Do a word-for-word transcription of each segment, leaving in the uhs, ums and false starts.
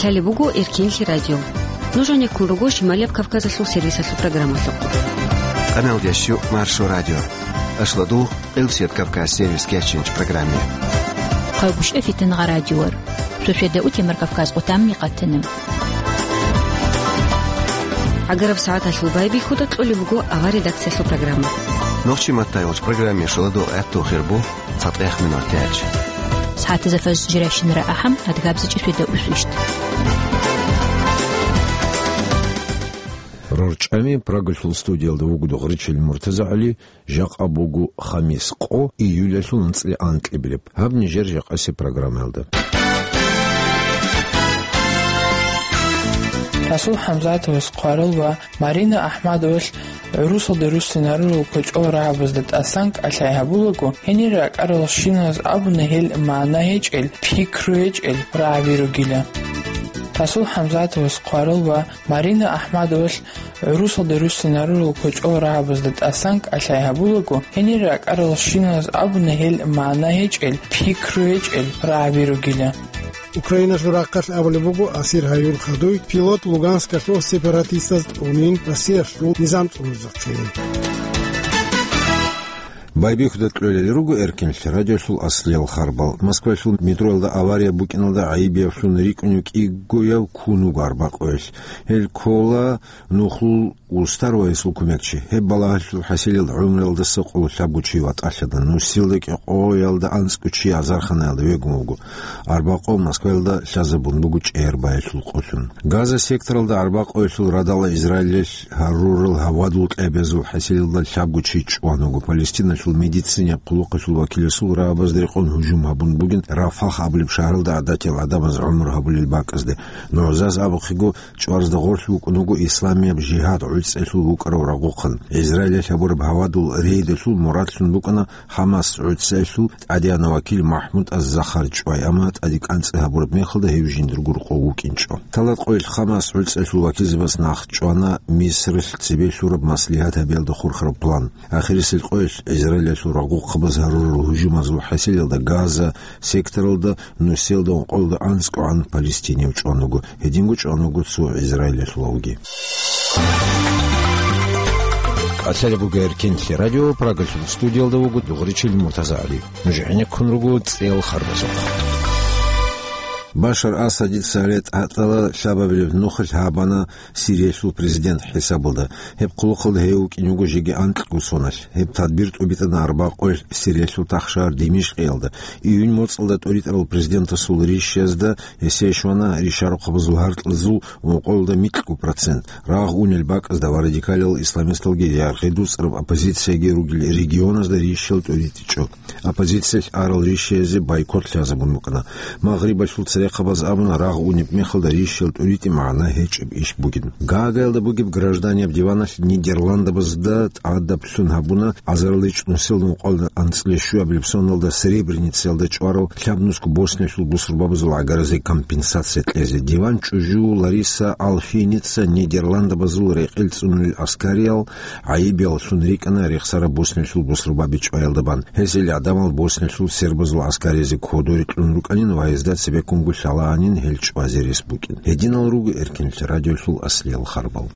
Гьале буго Эркинлъи радио. Нуж гӀенеккун руго Шималияб Кавказалъул сервисалъул программалъухъ. Къаналдящу Маршо радио. Ашладу Къилсият Кавказ сервис кечинч программе. Хъайгушев Фитнагъа радиор. Суседа утемар Кавказ къутамни къатана. ГӀагараб сагӀаталъул байбихьуда кьолеб буго авар редакциялъул программа. Нохчи маттайолч программе шаладу гӀатту хирбу. Цадахъ минутач. СагӀатазда фаз жирайщинара ахӀам, адгабзичӀи светда усвищт. РорчӀами Прагалъул студиялда вугода Гъричил МуртазагӀали, жакъа буго хамис къо, июлалъул анцӀила анкьабилеб. Гьаб нижер жакъаси программаялда. Расул ХӀамзатовас хъварал ва Марина Ахмадовалъ гӀурусалде руссинарурал кочӀол рагӀабазда тӀасан кӀалъай гьабулаго, гьенир ракӀарал щиназ абуна гьел магӀна гьечӀел, пикру гьечӀел рагӀаби ругила. Расул ХӀамзатовас хъварал ва Марина Ахмадовалъ гӀурусалде руссинарурал кочӀол рагӀабазда тӀасан кӀалъай гьабулаго, гьенир ракӀарал щиназ абуна гьел магӀна гьечӀел, пикру гьечӀел рагӀаби ругила. Украиналъул рахъалъ абулеб буго асир гьаюн хадуй пилот Луганскалъул сепаратистаз тӀунин Россиялъул низам цӀунизехъин. Байбихьуда кьолел руго Эркинлъи радиолъул аслиял харбал. Москвалъул метроялда авария букӀиналда гӀайибиявлъун рикӀкӀунев кӀигояв ккун вуго арбакъойилъ. Гьел ккола нухлул устар ва гьесул кумекчи. Гьеб балагьалъул хӀасилел гӀумруялдаса къоло лъабго чи ватӀалъана. Нусилда кӀикъоялда анцӀго чи азарханаялда вегун вуго. Арбакъов Москваялда лъазабун буго чӀегӀер баялъул къолъун. Газа секторалда арбакъоялъул радала Израилалъ гьарурал гьавадул кьабазул хӀасилелда лъабго чи чӀван вуго. Палестиналъул медицинаб хъулухъалъул вакиласул рагӀабазда рекъон гьужум гьабун бугин Рафах абулеб шагьаралда гӀадатиял гӀадамаз гӀумру гьабулел бакӀазде. НугӀзаз абухъего, чӀварзда гъорлъ вукӀун вуго Исламияб жигьад гӀуцӀиялъул вукӀарав рагъухъан. Израилалъ гьабураб гьавадул рейдалъул мурадлъун букӀана ХӀамас гӀуцӀиялъул тӀадегӀанав вакил МахӀмуд аз-Захар чӀвай, амма тӀаде кӀанцӀи гьабураб мехалда гьев жиндирго рокъов вукӀинчӀо. Лъала къоялъ ХӀамас гӀуцӀиялъул вакилзабаз нах чӀвана Мисралъ цебе лъураб маслигьат гьабиялда хурхараб план. Ахирисел къоялъ Израилалъул рагъухъабаз гьарурал гьужумазул хӀасилелда Газа секторалда нусиялда ункъоялда анцӀгогӀан палестинияв чӀван вуго, гьединго чӀван вуго цо израилалъулавги. Калъалеб буго Эркинлъи радио, Прагалъул студиялда вуго Дугъричил МуртазагӀали. Нуж гӀенеккун руго цӀел харбазухъ. Башар Асадица ретӀатала лъабабилеб нухалъ гьабана Сириялъул президент хӀисабалда. Гьеб хъулухъалда гьев вукӀин вуго жеги анкьго соналъ. Гьеб тадбир тӀубитӀана арбакъоялъ Сириялъул тахшагьар Димишкъиялда. Июнь моцӀалда тӀуритӀарал президентасул ришязда гьесие щвана ришарухъабазул гьаркьазул ункъоялда микьго процент. Рагъ унел бакӀазда ва радикалиял исламисталги яргъи дуцӀараб оппозицияги ругел регионазда ришал тӀуритӀичӀо. Оппозициялъ арал ришиязе бойкот лъазабун букӀана. Магърибалъул церехъабаз абуна, рагъ унеб мехалда ришал тӀуритӀи магӀна гьечӀеб иш бугин. Гаагаялда бугеб гражданияб диваналъ Нидерландабазда тӀадаблъун гьабуна азарилчӀ нусилда ункъоялда анцӀила щуабилеб соналда Сребреницаялда чӀварав лъабнусго Боснияялъул бусурбабазул гӀагаразе компенсация кьезе. Диван чӀужу Лариса Алфиница Нидерландабазул рекъел цӀунулел аскариял гӀайибияллъун рикӀкӀана рехсараб Боснияялъул бусурбаби чӀваялда бан. Гьесие гӀадамал Боснияялъул сербазул аскаризе кодоре кьун рукӀанин ва гьезда цебеккунго лъалаанин гьел чӀвазе рес букӀин. Гьединал руго Эркинлъи радиолъул аслиял харбал.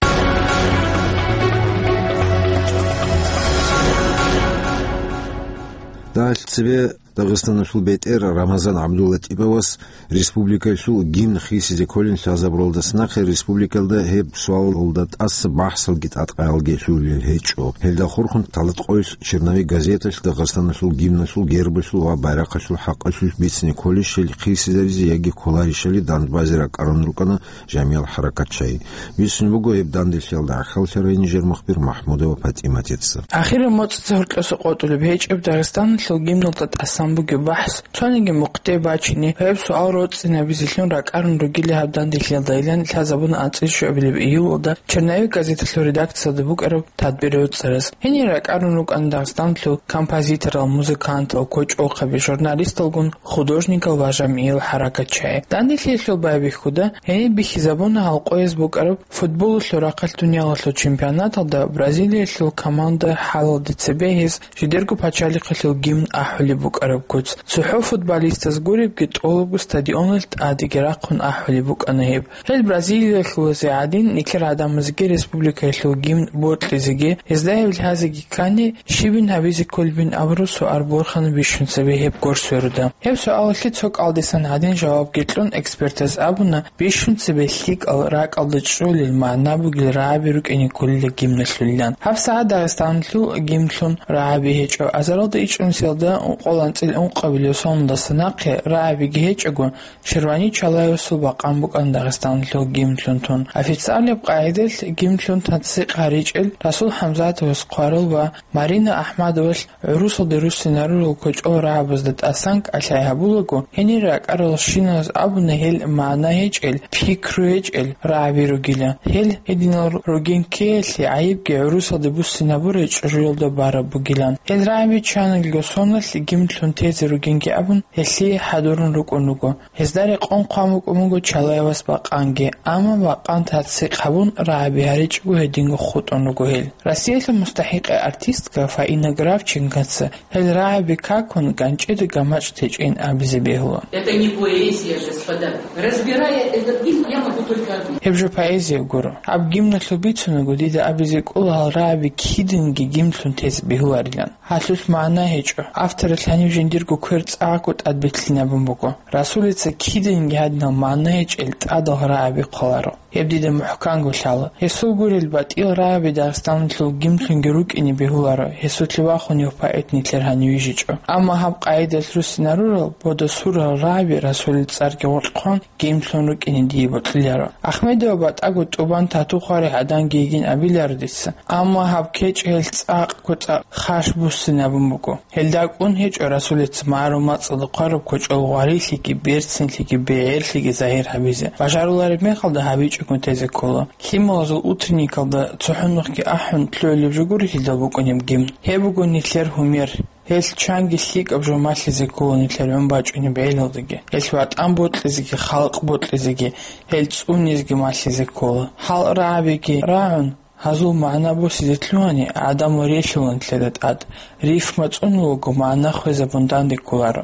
Дагьалъ цебе Дагъистаналъул бетӀер Рамазан ГӀабдуллатӀиповас республикалъул гимн хисизе кколин лъазабуралдаса нахъе республикалда гьеб суалалда тӀаса бахӀсалги тӀадкъаялги лъугьулел гьечӀо. Гьелда хурхун Талат къоялъ «Черновик» газеталъ Дагъистаналъул гимналъул, гербалъул ва байрахъалъул хӀакъалъулъ бицине кколищали хисизаризе яги кколарищали дандбазе ракӀарун рукӀана Жамил ХӀаракатчай. Бицун буго гьеб данделъиялда гӀахьаллъарай нижер мухбир Махмудова ПатӀиматица. Ахираб моцӀица гьоркьоса къотӀулеб гьечӀеб Дагъистаналъул гимналда тӀасан бугеб бахӀс, цониги мухъде бачине, гьеб суал роцӀцӀинабизелъун ракӀарун ругила гьаб данделъиялдайилан лъазабуна анцӀила щуабилеб июлалда «Черновик» газеталъул редакциялда букӀараб тадбир роцӀцӀараз. Гьенир ракӀарун рукӀана Дагъистаналъул композиторал, музыкантал, кочӀохъаби, журналисталгун художникал ва Жамил ХӀаракатчай. Данделъиялъул байбихьуда гьениб бихьизабуна гьал къояз букӀараб футболалъул рахъалъ дуниялалъул чемпионаталда Бразилиялъул команда хӀалалде цебе гьез жидерго пачалихъалъул гимн ахӀулеб букӀараб. куц. ЦохӀо футболистаз гуребги тӀолабго стадионалъ тӀадеги рахъун ахӀулеб букӀана гьеб. Гьел Бразилиялъулазе гӀадин, нилъер гӀадамазеги республикаялъул гимн бокьизеги, гьезда гьеб лъазеги ккани, щибин гьабизе кколебин абураб суал борхана бищун цебе гьеб гур сверуда. Гьеб суалалъе цо кӀалдисан гӀадин жавабги кьун, экспертаз абуна, бищун цебе лъикӀал ракӀалда чӀолел магӀна бугел рагӀаби рукӀине кколила гимналъулилан. ГьабсагӀат Дагъистаналъул гимналъун рагӀаби гьечӀо. Азаралда ичӀнусиялда ункъоялда анцӀила ункъабилеб соналдаса нахъе рагӀабиги гьечӀого, Ширвани Чалаевасул бакъан букӀана Дагъистаналъул гимналъун тун. Официальнаб къагӀидалъ гимналъун тасдикъ гьаричӀел Расул ХӀамзатовас хъварал ва Марина Ахмадовалъ гӀурусалде руссинарурал кочӀол рагӀабазда тӀасан кӀалъай гьабулаго, гьенир ракӀаралщиналъ абуна гьел магӀна гьечӀел, пикру гьечӀел рагӀаби ругила. Гьел гьединал ругин ккеялъе гӀайибги гӀурусалде буссинабурай чӀужуялда бараб бугилан. Гьел рагӀаби чанилго соналъ гимналъун тезе ругинги абун, гьелъие хӀадурун рукӀун руго. Гьезда рекъон хъван букӀун буго Чалаевас бакъанги, амма бакъан тасдикъ гьабун, рагӀаби гьаричӀого гьединго хутӀун руго гьел. Россиялъул мустахӀикъа артистка Фаина Гравченкоца гьел рагӀаби какун, ганчӀида гамачӀ течӀин абизе бегьула. Это не поэзия, господа. Разбирая этот гимн, я могу только одно. Гьеб жо поэзия гуро. Гьаб гимналъул бицунаго, дида абизе кӀола гьал рагӀаби киданги гимналъун тезе бегьуларилан. Гьалъулъ магӀна гьечӀо. Авторалъ гьаниб жиндирго квер цӀакъго тӀадбетлъинабун буго. Расулица киданги гьадинал магӀна гьечӀел тӀадал рагӀаби хъваларо. Гьеб дида мухӀканго лъала. Гьесул гурел батӀиял рагӀаби Дагъистаналъул гимналъунги рукӀине бегьуларо, гьесулъе вахунев поэт нилъер гьанив вижичӀо. Амма гьаб къагӀидалъ руссинарурал, бодосурал рагӀаби Расулил цӀарги гъоркь хъван, гимналъун рукӀине дие бокьиларо. Ахмедова батӀаго тӀубан тату хъварай гӀаданги йигин абиларо дица. Амма гьаб кечӀ гьелъ цӀакъго цӀакъ хаш буссинабун буго. Гьелда кӀун гьечӀо Расулица магӀарул мацӀалда хъвараб кочӀол гъварилъиги, берцинлъиги, бегӀерлъиги загьир гьабизе. Бажарулареб мехалда гьабичӀого тезе ккола. Лъималазул утренникалда цохӀо нухги ахӀун лъугӀулеб жо гури гьелдал букӀунеб гимн. Гьеб буго нилъер гьумер. Гьелъ чанги лъикӀаб жо малъизе ккола нилъер гӀун бачӀунеб гӀелалдаги. Гьелъ ватӀан бокьизеги, халкъ бокьизеги, гьел цӀунизеги малъизе ккола. Гьал рагӀабиги рагӀун, гьазул магӀна босизе лъугьани, гӀадамал релълъула нилъеда тӀад. Рифма цӀунулаго магӀна хвезабун данде кколаро.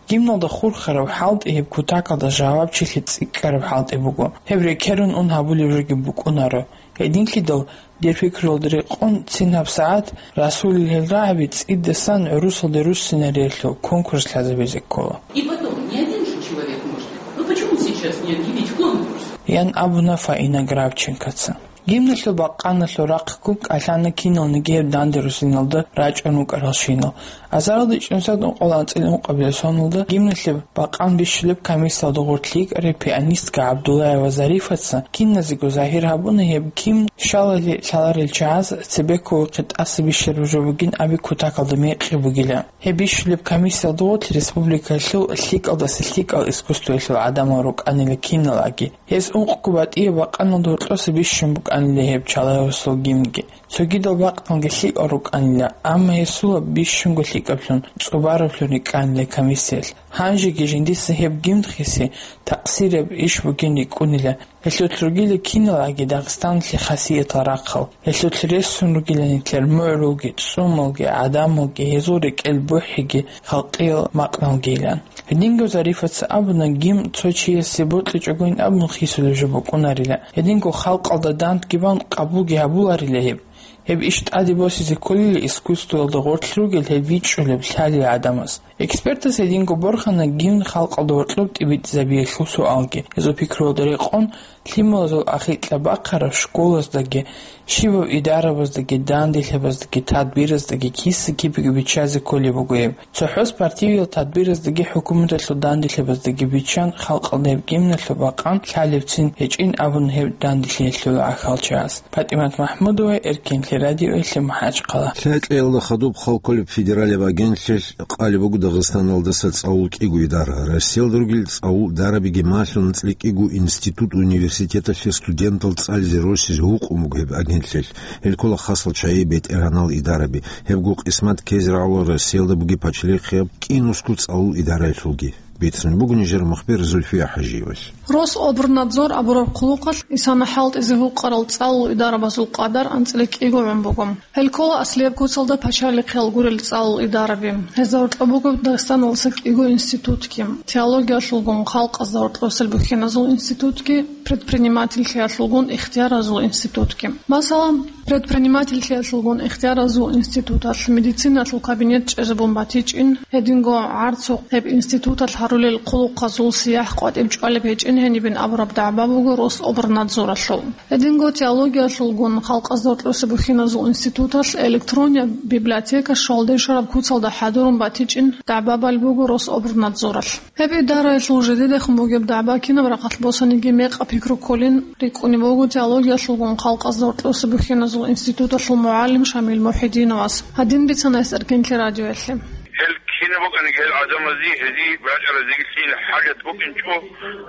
Гимналда хурхараб хӀалтӀи гьеб кутакалда жавабчилъи цӀикӀкӀараб хӀалтӀи буго. Гьеб рекерун ун гьабулеб жоги букӀунаро. Гьединлъидал, дир пикруялда рекъон, цин гьабсагӀат Расулил гьел рагӀаби цӀидасан гӀурусалде руссинариялъул конкурс лъазабизе ккола. И потом, не один же человек может. Ну почему сейчас не объявить конкурс? Ян абуна Фаина Гравченкоца. Гимналъул бакъаналъул рахъ ккун кӀалъана киналниги гьеб данде руссиналда рачӀун вукӀаралщинал. Азаралда ичӀнусиялда ункъоялда анцӀила ункъабилеб соналда гимналъе бакъан бищулеб комиссиялда гъорлъ йикӀарай пианистка ГӀабдуллаева Зарифаца киназего загьир гьабуна гьеб гимн щалалъе лъаларел чагӀаз цебе кколухъе тӀаса бищараб жо бугин аби кутакалда мекъи бугила. Гьеб бищулеб комиссиялда гъорлъ республикалъул лъикӀалдаса лъикӀал искусствоялъул гӀадамал рукӀанила киналаги. Гьез ункъго батӀияб бакъаналда гьоркьоса бищун букӀанила гьеб Чалаевасул гимнги. Цогидал бакъалги лъикӀал рукӀанила, амма гьесулаб бищунго лъикӀаблъун, цӀубараблъун рикӀкӀанила комиссиялъ. Гьанжеги жиндица гьеб гимн хиси такъсирияб иш бугин рикӀкӀунила. Гьелъулъ ругила киналаги Дагъистаналъе хасиятал рахъал. Гьелъулъ ресун ругила нилъер мугӀрулги, цӀумалги, гӀадамалги, гьезул рекӀел бухӀиги, халкъиял макъналгийилан. Гьединго Зарифаца абуна, гимн цо чиясе бокьичӀогойин абун хисулеб жо букӀунарила. Гьединго халкъалда дандги бан къабулги гьабуларила гьеб. Гьеб иш тӀаде босизе кколила искусствоялда гъорлъ ругел гьеб бичӀчӀулеб лъалел гӀадамаз. Экспертаз гьединго борхана гимн халкъалда гьоркьоб тӀибитӀизабиялъул суалги. Гьезул пикруялда рекъон, лъималазул ахикьа бахъараб школаздаги, щибаб идарабаздаги, данделъабаздаги, тадбираздаги киса-кибеги биччазе кколеб буго гьеб. ЦохӀо спортивиял тадбираздаги хӀукуматалъул данделъабаздаги биччан, халкъалда гьеб гимналъул бакъан лъалебцин гьечӀин абун гьеб данделъиялъул гӀахьалчагӀаз. ПатӀимат МахӀмудова, Эркенлъи радиоялъе, МахӀачхъала. Лъай кьеялда хадуб хал кколеб федералияб агентлъилъ къалеб буго Дагъистаналдаса цӀалул кӀиго идара. Россиялда ругел цӀалул идарабиги малъун анцӀила кӀиго институт-университеталъе студентал цӀализе росизе гьукъун буго гьеб агентлъилъ. Гьел ккола хасал чагӀи, бетӀергьанал идараби. Гьебго къисмат ккезе рагӀула Россиялда бугеб пачалихъияб кӀинусго цӀалул идараялъулги. бицунеб буго нижер мухбир Зульфия ХӀажиевас. Рособрнадзор абураб хъулухъалъ исана хӀалтӀизе гьукъарал цӀалул идарабазул къадар анцӀила кӀиго гӀун буго. Гьел ккола аслияб куцалда пачалихъел гурел цӀалул идараби. Гьезда гьоркьоб буго Дагъистаналдаса кӀиго институтги: теологиялъулгун халкъазда гьоркьосел бухьиназул институтги, предпринимательлъиялъулгун ихтияразул институтги. Масала, предпринимательлъиялъулгун ихтияразул институталъ медициналъул кабинет чӀезабун батичӀин, гьединго гӀарцухъ гьеб институталъ гьарулел хъулухъазул сияхӀ къватӀиб чӀвалеб гьечӀин гьенибин абураб дагӀба буго Рособрнадзоралъул. Гьединго теологиялъулгун халкъазда гьоркьосеб бухьиназул институталъ электронная библиотека щвалде щвараб куцалда хӀадурун батичӀин дагӀба балеб буго Рособрнадзоралъ. Гьеб идараялъул жидедехун бугеб дагӀба кинаб рахъалъ босаниги мекъа пикру кколин рикӀкӀунеб буго теологиялъулгун халкъазда гьоркьосеб бухьиназул институталъул мугӀалим Шамил МухӀидиновас. Гьадин бицана гьес Эркенлъи радиоялъе. Гьел кинаб букӀаниги гьел гӀадамазе, гьезие бачӀаразеги лъил хӀажат букӀинчӀо,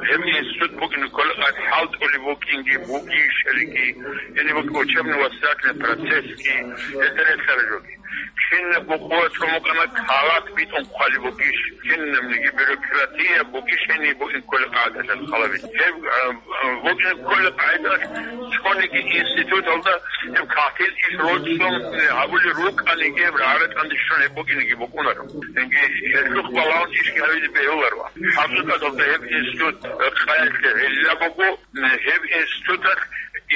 гьеб институт букӀине ккола къад хӀалтӀулеб букӀинги бугищариги, гьениб букӀин учебно-воспитательный процессги, гьелда релълъараб жоги. Кинабго къуваталъун букӀана калат битӀун хъвалеб бугищ, кинабниги бюрократия бугищ гьениб букӀин ккола къагӀидалъ халабилъ. Гьеб, а, а, букӀин ккола къагӀидалъ цониги институталда гьеб кагътил иш рочӀун гьабулел рукӀаниги, гьеб рагӀа-ратӀанде щун гьеб букӀинеги букӀунаро. Цинги гьелъухъ балагьун ишги гьабизе бегьуларо. ХӀакъикъаталда гьеб институт къаялъе гӀилла буго, гьеб институталъ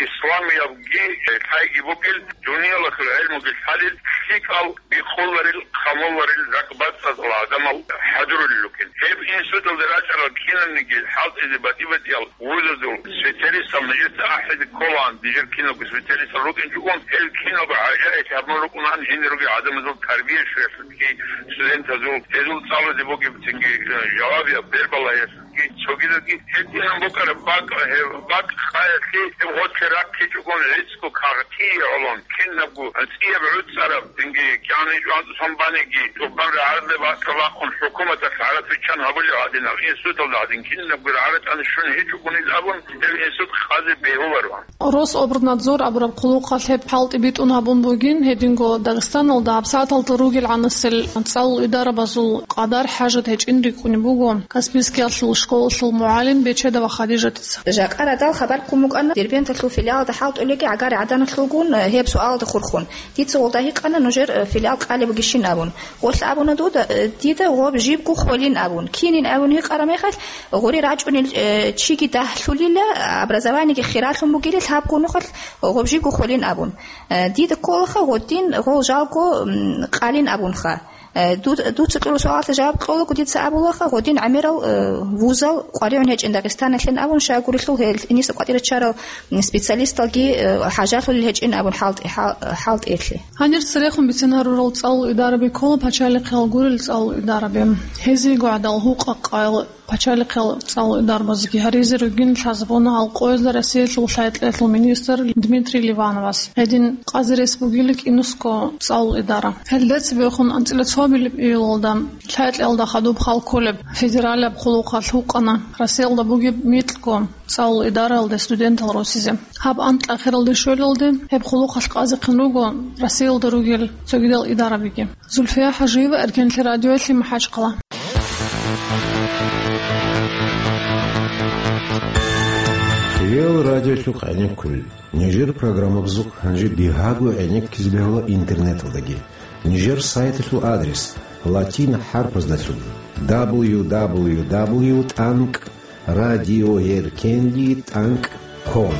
исламиябги лъайги бугел, дуниялалъул гӀелмуги лъалел, лъикӀал бикъуларел, хъамуларел ракӀбацӀцӀадал гӀадамал хӀадурулел ругел. Гьеб институталда рачӀарал кинабниги хӀалтӀизе батӀи-батӀиял вузазул специалистал нижеца ахӀизе кколаан, нижер киналго специалистал рукӀинчӀогун, гьел киналго гӀажаиблъи гьабун рукӀунаан гьенир ругел гӀадамазул тарбия щвеялъулги, студентазул, гьезул цӀалузе бугеб цинги, э, жавабияб бербалаялъулги, цогидалги гьединан букӀараб бакӀ, гьеб бакӀ къаялъе гьеб гъорлъе рахъичӀогун гӀицӀго кагътие гӀолон, кинабго цӀияб гӀуцӀараб, цинги кӀаничӀо анцӀусан баниги, тӀубан рагӀалде бакӀа бахъун, хӀукуматалъ гӀаратӀ виччан гьабулеб гьадинаб институталда гьадин кинабго рагӀа-ратӀани щун гьечӀогунил абун, гьеб институт къазе бегьуларо. Рособрнадзор абураб хъулухъалъ гьеб хӀалтӀи битӀун гьабун бугин, гьединго Дагъистаналда гьабсагӀаталда ругел гӀанасел цӀалул идарабазул къадар хӀажат гьечӀин рикӀкӀунеб буго Каспийскиялъул школалъул мугӀалим Бечедова Хадижатица. Жакъа радал хабар ккун букӀана Дербенталъул филиалалда хӀалтӀулеги гӀагари гӀаданалъулгун, э, гьеб суалалда хурхун. Дица гъолда гьикъана нужер, э, филиал къалеб бугищин абун. Гъолъ абуна дуда, э, дида гъоб жибго хвалин абун. Кинин абун гьикъараб мехалъ, гъури рачӀунел, э, чиги дагьлъулила, образованиеги хиралъун бугилан, лъабго нухалъ гъоб жибго хвалин абун. Э, дида кколаха гъодин гъол жалго, м, къалин абунха. Э, ду-, дуца кьураб суалалъе жаваб кьолаго дица абулаха, гъодин гӀемерал, э, вузал къваригӀун гьечӀин Дагъистаналъин абун, щайгурелъул гьел иниса кӀватӀире чарал, м, специалисталги, э, хӀажалъулел гьечӀин абун хӀалтӀи-, хӀал-, хӀалтӀиялъе. Гьанир церехун бицин гьарурал цӀалул идараби ккола пачалихъал гурел цӀалул идараби. Гьезиего гӀадал гьукъа-къайил пачалихъал цӀалул идарабазги гьаризе ругин лъазабуна гьал къоязда Россиялъул лъай-кьеялъул министр Дмитрий Ливановас. Гьедин къазе рес бугила КӀинусго цӀалул идара. Гьелда цебехун анцӀила цоабилеб июлалда лъай-кьеялда хадуб хал кколеб федералияб хъулухъалъ гьукъана Россиялда бугеб микьго цӀалул идараялде студентал росизе. Гьаб анкьа ахиралде щвелалде гьеб хъулухъалъ къазехъин руго Россиялда ругел цогидал идарабиги. Зульфия ХӀажиева, Эркенлъи радиоялъе, МахӀачхъала. Риал радиолъухъ гӀенеккулел. Нижер программабазухъ гьанже бигьаго гӀенеккизе бегьула интернеталдаги. Нижер сайталъул адрес латин хӀарпаздалъун: дабл ю дабл ю дабл ю тӀанкӀ радиоэркенлъи тӀанкӀ ком.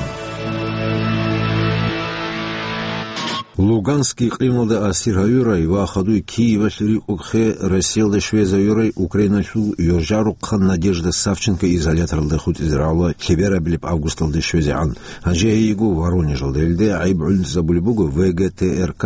Луганск икълималда асир гьавурай ва хадуй Киевалъ рикӀкӀухъе Россиялда щвезавурай Украиналъул ёжарухъан Надежда Савченко изоляторалда хутӀизе рагӀула лъеберабилеб августалде щвезегӀан. Гьанже гьейиго Воронежалда. Гьелде гӀайиб гӀунтӀизабулеб буго В Г Т Р К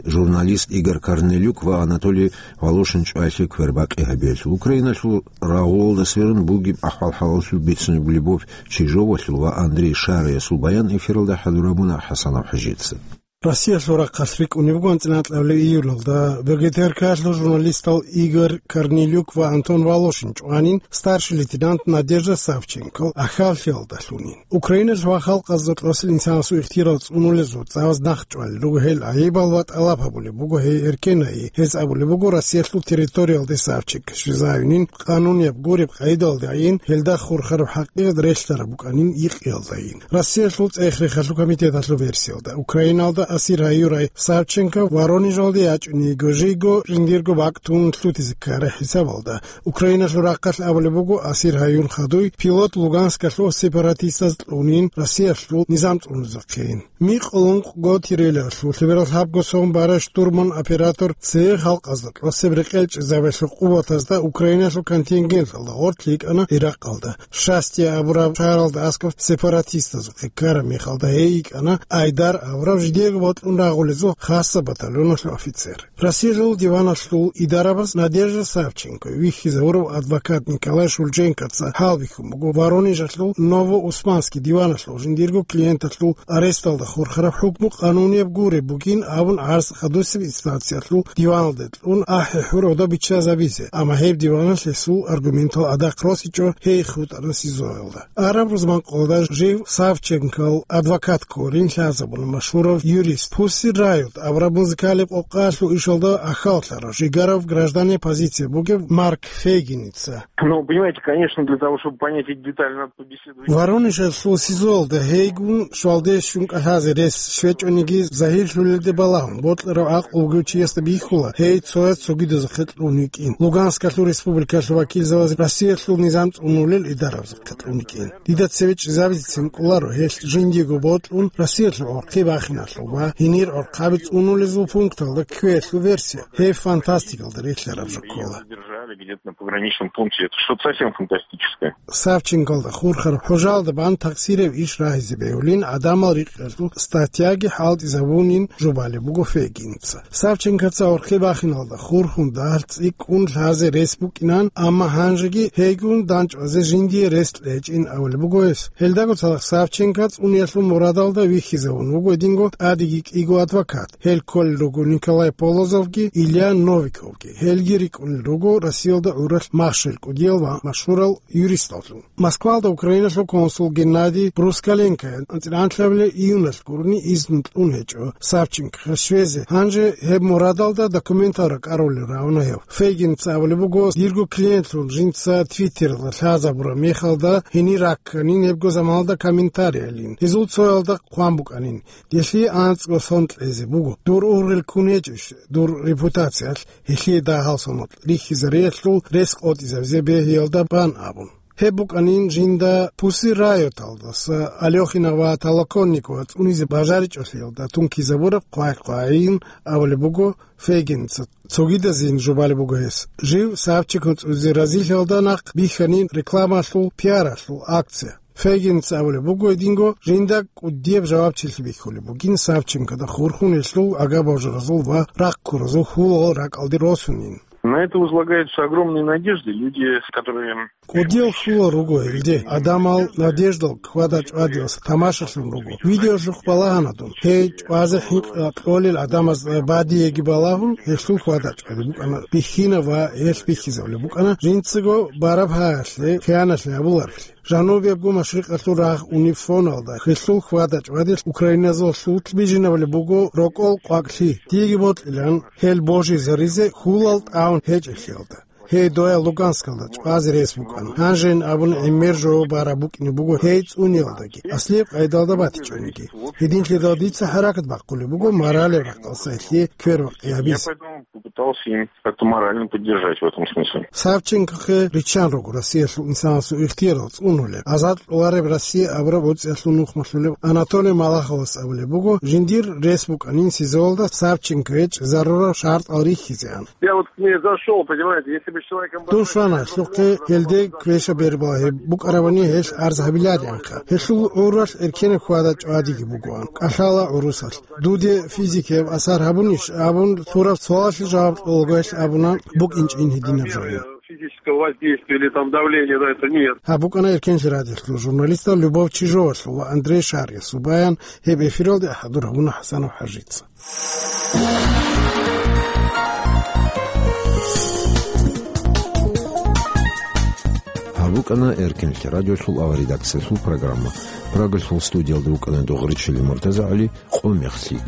журналист Игорь Корнелюк ва Анатолий Волошин чӀваялъе квербакъи гьабиялъул. Украиналъул рагъулалда сверун бугеб ахӀвал-хӀалалъул бицунеб Любовь Чижовалъул ва Андрей Шариясул баян эфиралда хӀадурабуна ХӀасанов ХӀажица. Россиялъул рахъалъ рикӀкӀунеб буго анцӀила анкьабилеб июлалда БГТРК-ялъул журналистал Игорь Корнелюк ва Антон Волошин чӀванин старший лейтенант Надежда Савченкол ахьаллъиялдалъунин. Украиналъ ва халкъазда кьурасел инсанасул ихтияр цӀунулезул цӀакъ нахъ чӀвалел руго гьел гӀайибал ва тӀалаб гьабулеб буго гьей эркенайи. Гьез абулеб буго Россиялъул территориялде Савченко щвезавинин, къанунияб гуреб къайдалдайин, гьелда хурхараб хӀакъикъат релълъараб букӀанин йикъиялдайин. Россиялъул цӀех-рехалъул комитеталъул версиялда, Украиналда асир гьаюрай Савченко Воронежалде ячӀунего жийго жиндирго бакӀ тун лъутизе ккарай хӀисабалда. Украиналъул рахъалъ абулеб буго, асир гьаюн хадуй пилот Луганскалъул сепаратистаз кьунин Россиялъул низам цӀунезухъейин. Микъ лункъго тирелалъул лъеберал лъабго сон барай штурман оператор цеве халкъазда кьурасеб рекъел чӀезабиялъул къуватазда Украиналъул контингенталда гъорлъ йикӀана Иракъалда. Шастия абураб шагьаралда аскӀоб сепаратистазухъе ккараб мехалда гьей йикӀана Айдар абурав жидеего бокьун рагъулезул хасаб батальоналъул офицер. Россиялъул диваналъул идарабаз Надежда Савченко вихьизавурав адвокат Николай Шульженкоца гьалбихьун буго Воронежалъул Новоусманский диваналъул жиндирго клиенталъул аресталда хурхараб хӀукму къанунияб гуреб бугин абун гӀарз хадусеб инстанциялъул диваналде кьун ахӀи-хӀур гьодов биччазабизе, амма гьеб диваналъ гьесул аргументал адакъ росичӀо гьей хутӀана СИЗОялда. Араб рузманкъоялда жив Савченкол адвокат кколин лъазабуна машгьурав юрист, Pussy Riot абураб музыкалияб къокъаялъул ишалда ахьаллъарав, жигарав гражданияй позиция бугев Марк Фейгиница. Ну, понимаете, конечно, для того, чтобы понять эти детали, надо побеседовать. Воронежалъул СИЗОялда гьейгун щвалде щун кӀалъазе рес щвечӀониги, загьирлъулелде балагьун, бокьарав гӀакълу бугев чиясда бихьула, гьей цояз цогидазухъе кьун йикӀин. Луганскалъул республикалъул вакилзабаз Россиялъул низам цӀунулел идарабазухъе кьун йикӀин. Дида цеве чӀезабицин кӀоларо гьелъ жиндиего бокьун Россиялъул гӀорхъи бахиналъул ва гьенир гӀорхъаби цӀунулезул пункталда кквеялъул версия. Гьеб фантастикалда релълъараб жо ккола. Держали где-то на пограничном пункте. Это что-то совсем фантастическое. Савченколда хурхараб хӀужалда бан такъсираб иш рагьизе бегьулин гӀадамал рикъ Гьелъул статьяги хӀалтӀизабунин жубалеб буго Фейгинца. Савченкоца гӀорхъи бахиналда хурхун дагьал цӀикӀкӀун лъазе рес букӀинан, амма гьанжеги гьейгун данчӀвазе жиндие рес кьечӀин абулеб буго гьес. Гьелдаго цадахъ Савченко цӀуниялъул мурадалда вихьизавун вуго гьединго тӀадеги кӀиго адвокат. Гьел кколел руго Николай Полозовги Илья Новиковги. Гьелги рикӀкӀунел руго Россиялда гӀуралъ махщел кӀудиял ва машгьурал юристаллъун. Москвалда Украиналъул консул Геннадий Брускаленко анцӀила анлъабилеб июналъ гурони изну кьун гьечӀо Савченкохъе щвезе. Гьанже гьеб мурадалда документал ракӀарулел равна гьев. Фейгинца абулеб буго, дирго клиентлъун жинца Твиттералда лъазабураб мехалда гьенир ракканин гьебго заманалда комментариялин. Гьезул цоялда хъван букӀанин: «Нилъее анцӀго сон кьезе буго. Дур ургъел ккун гьечӀищ дур репутациялъ, гьелъие дагьал сон рихьизариялъул рес къотӀизабизе бегьиялда бан», – абун. Гьеб букӀанин жинда Пусси Райоталдаса Алёхина ва Толоконникова цӀунизе бажаричӀолъиялда тункизабураб хъвай-хъвайин абулеб буго Фейгинца. Цогидазин жубалеб буго гьес. Жив Савченко цӀунизе разилъиялда нахъ бихьанин рекламалъул, пиаралъул акция. Фейгинца абулеб буго гьединго, жинда кӀудияб жавабчилъи бихьулеб бугин Савченкода хурхун гьелъул агаб-божаразул ва рахъ ккуразул хьулал ракӀалде росунин. На это возлагаются огромные надежды. Люди, которые... КӀудиял хьулал руго гьелде, гӀадамал надеждал хьвада-чӀвадиялъ тамашалъун руго. Видеолъухъ балагьана дун. Гьей чӀвазе хӀинкъи кьолел гӀадамаз бадиеги балагьун, гьелъул хьвада-чӀвади букӀана бихьинаб ва гьелъ бихьизабулеб букӀана жинцаго бараб гьаялъе хиянат гьабуларелъи. Жанубиябго машрикъалъул рагъ унифоналда гьелъул хьвада-чӀвадилъ украиназулъ бижинабулеб буго рокӀол къвакӀлъи. Диеги бокьилан гьел божизаризе хьулал тӀагӀун гьечӀелъиялда. Гьей доял Луганскалда чӀвазе рес букӀана. Гьанжейин абун гӀемер жо бараб букӀине буго гьей цӀуниялдаги, аслияб къайдалда батичӀониги. Гьединлъидал дица хӀаракат бахъулеб буго моралеб рахъалъа гьелъие квербакъи гьабизе. Я поэтому попытался им как-то морально поддержать в этом смысле. Савченкохъе риччан руго Россиялъул инсанасул ихтиярал цӀунулел, азад кьолареб Россия абураб гӀуцӀиялъул нухмалъулеб Анатолий Малаховас абулеб буго, жиндир рес букӀанин СИЗОялда Савченкое чӀезарурал шартӀал рихьизеан. Я вот к ней зашёл, понимаете, если бы с человеком... Дун щвана гьелъухъе, гьелде квеша бербала гьеб букӀарабани гьелъ арз гьабиларианха. Гьелъул гӀуралъ эркенаб хьвада-чӀвадиги бугоан, кӀалъала гӀурусалъ. Дуде физикияб асар гьабунищ абун, лъураб суалалъе жаваб кьолагоялъ абуна, букӀинчӀин гьединаб жо. Физического воздействия или там давления на это нет. Гьаб букӀана Эркенлъи радиолъул журналистал Любовь Чижовалъул ва Андрей Шариясул баян, гьеб эфиралде хӀадур гьабуна ХӀасанов ХӀажица. Гьаб букӀана Эркенлъи радиолъул аваредакциялъул программа. Прагалъул студиялда вукӀана Дугъричили МуртазагӀали, къо мехлъи.